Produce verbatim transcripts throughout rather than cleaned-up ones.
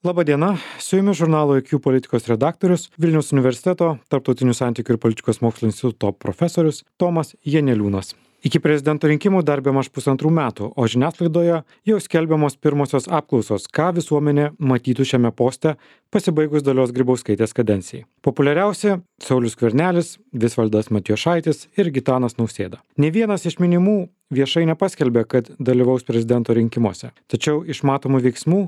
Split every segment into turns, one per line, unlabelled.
Labadiena, su jumis žurnalo I Q politikos redaktorius, Vilniaus universiteto Tarptautinių santykių ir politikos mokslų instituto profesorius Tomas Janeliūnas. Iki prezidento rinkimų dar bemaž pusantrų metų, o žiniasklaidoje jau skelbiamos pirmosios apklausos, ką visuomenė matytų šiame poste pasibaigus Dalios Grybauskaitės kadencijai. Populiariausi – Saulius Skvernelis, Visvaldas Matijošaitis ir Gitanas Nausėda. Nė vienas iš minimų viešai nepaskelbė, kad dalyvaus prezidento rinkimuose. Tačiau iš matomų veiksmų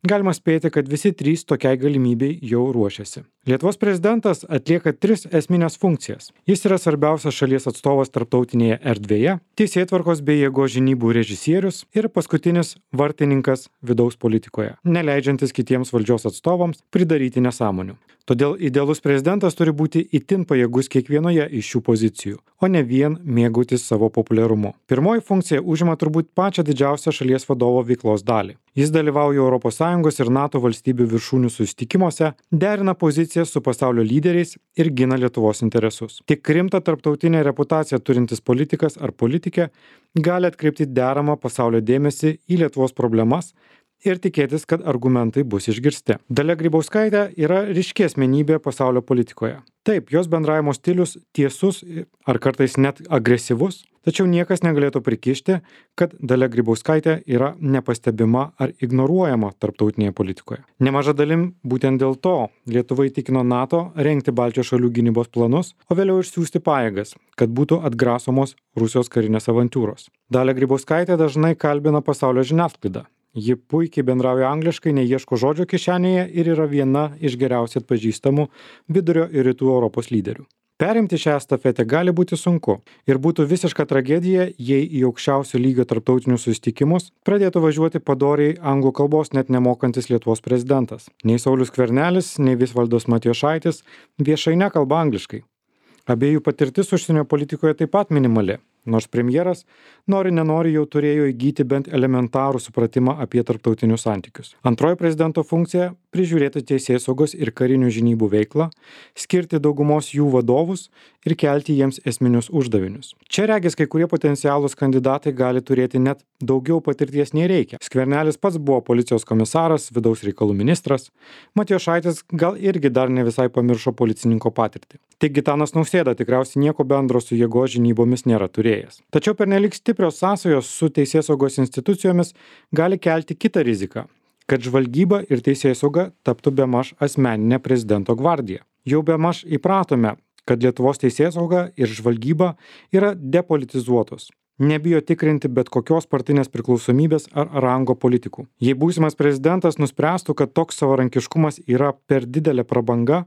galima spėti, kad visi trys tokiai galimybei jau ruošiasi. Lietuvos prezidentas atlieka tris esminės funkcijas. Jis yra svarbiausias šalies atstovas tarptautinėje erdvėje, teisėtvarkos bei jėgos žinybų režisierius ir paskutinis vartininkas vidaus politikoje, neleidžiantis kitiems valdžios atstovams pridaryti nesąmonių. Todėl idealus prezidentas turi būti itin pajėgus kiekvienoje iš šių pozicijų, o ne vien mėgautis savo populiarumu. Pirmoji funkcija užima turbūt pačią didžiausią šalies vadovo veiklos dalį. Jis dalyvauja Europos Sąjungos ir NATO valstybių viršūnių susitikimuose, derina pozicijas su pasaulio lyderiais ir gina Lietuvos interesus. Tik rimtą tarptautinę reputaciją turintis politikas ar politikė gali atkreipti deramą pasaulio dėmesį į Lietuvos problemas ir tikėtis, kad argumentai bus išgirsti. Dalia Grybauskaitė yra ryški asmenybė pasaulio politikoje. Taip, jos bendravimo stilius tiesus ar kartais net agresyvus, tačiau niekas negalėtų prikišti, kad Dalia Grybauskaitė yra nepastebima ar ignoruojama tarptautinėje politikoje. Nemaža dalim būtent dėl to Lietuva įtikino NATO rengti Baltijos šalių gynybos planus, o vėliau išsiųsti pajėgas, kad būtų atgrasomos Rusijos karinės avantūros. Dalia Grybauskaitė dažnai kalbina pasaulio žiniasklaidą. Ji puikiai bendrauja angliškai, neieško žodžio kišenėje ir yra viena iš geriausiai atpažįstamų vidurio ir rytų Europos lyderių. Perimti šią estafetę gali būti sunku ir būtų visiška tragedija, jei į aukščiausio lygio tarptautinius susitikimus pradėtų važiuoti padoriai anglų kalbos net nemokantis Lietuvos prezidentas. Nei Saulius Skvernelis, nei Visvaldas Matijošaitis viešai nekalba angliškai. Abiejų patirtis užsienio politikoje taip pat minimali. Nors premjeras nori nenori jau turėjo įgyti bent elementarų supratimą apie tarptautinius santykius. Antroji prezidento funkcija – prižiūrėti teisėsaugos ir karinių žinybų veiklą, skirti daugumos jų vadovus ir kelti jiems esminius uždavinius. Čia regis kai kurie potencialūs kandidatai gali turėti net daugiau patirties nei reikia. Skvernelis pats buvo policijos komisaras, vidaus reikalų ministras, Matijošaitis gal irgi dar ne visai pamiršo policininko patirtį. Tik Gitanas Nausėda tikriausiai nieko bendro su jėgos žinybomis nėra turėjęs. Tačiau pernelyg stiprios sąsajos su teisėsaugos institucijomis gali kelti kitą riziką, kad žvalgyba ir teisėsauga taptų bemaž asmeninė prezidento gvardija. Jau bemaž įpratome, kad Lietuvos teisėsauga ir žvalgyba yra depolitizuotos. Nebijo tikrinti bet kokios partinės priklausomybės ar rango politikų. Jei būsimas prezidentas nuspręstų, kad toks savarankiškumas yra per didelė prabanga,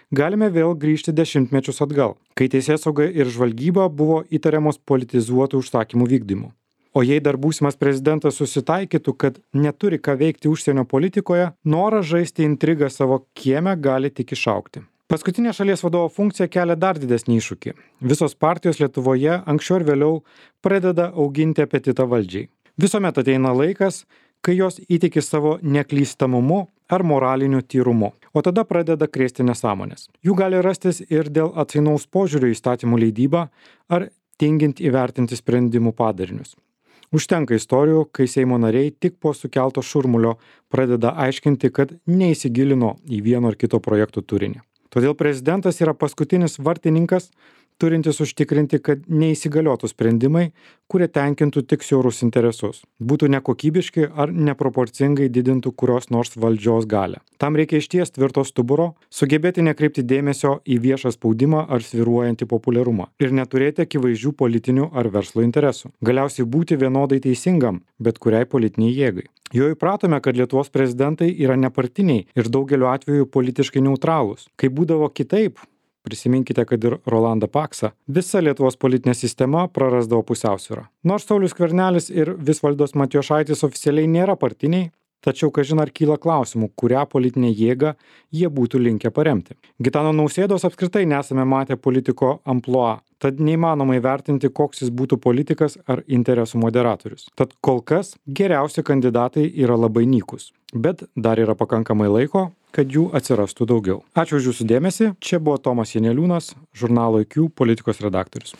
galime vėl grįžti dešimtmečius atgal, kai teisėsauga ir žvalgyba buvo įtariamos politizuotų užsakymų vykdymu. O jei dar būsimas prezidentas susitaikytų, kad neturi ką veikti užsienio politikoje, noras žaisti intrigą savo kieme gali tik išaugti. Paskutinė šalies vadovo funkcija kelia dar didesnį iššūkį. Visos partijos Lietuvoje anksčiau ir vėliau pradeda auginti apetitą valdžiai. Visuomet ateina laikas, kai jos įtiki savo neklystamumu ar moraliniu tyrumu, o tada pradeda krėsti nesąmonės. Jų gali rastis ir dėl atsainaus požiūrio į įstatymų leidybą ar tingint įvertinti sprendimų padarinius. Užtenka istorijų, kai Seimo nariai tik po sukelto šurmulio pradeda aiškinti, kad neįsigilino į vieno ar kito projekto turinį. Todėl prezidentas yra paskutinis vartininkas, turintis užtikrinti, kad neįsigaliotų sprendimai, kurie tenkintų tik siaurus interesus, būtų nekokybiški ar neproporcingai didintų kurios nors valdžios galią. Tam reikia išties tvirto stuburo, sugebėti nekreipti dėmesio į viešą spaudimą ar svyruojantį populiarumą ir neturėti akivaizdžių politinių ar verslo interesų. Galiausiai būti vienodai teisingam, bet kuriai politiniai jėgai. Jau įpratome, kad Lietuvos prezidentai yra nepartiniai ir daugeliu atveju politiškai neutralūs. Kai būdavo kitaip, prisiminkite, kad ir Rolandą Paksą, visa Lietuvos politinė sistema prarasdavo pusiausvyrą. Nors Saulius Skvernelis ir Visvaldas Matijošaitis oficialiai nėra partiniai, tačiau kažin ar kyla klausimų, kurią politinę jėgą jie būtų linkę paremti. Gitano Nausėdos apskritai nesame matę politiko amplua, tad neįmanoma įvertinti, koks jis būtų politikas ar interesų moderatorius. Tad kol kas geriausi kandidatai yra labai nykus, bet dar yra pakankamai laiko, kad jų atsirastų daugiau. Ačiū už jūsų dėmesį. Čia buvo Tomas Janeliūnas, žurnalo I Q politikos redaktorius.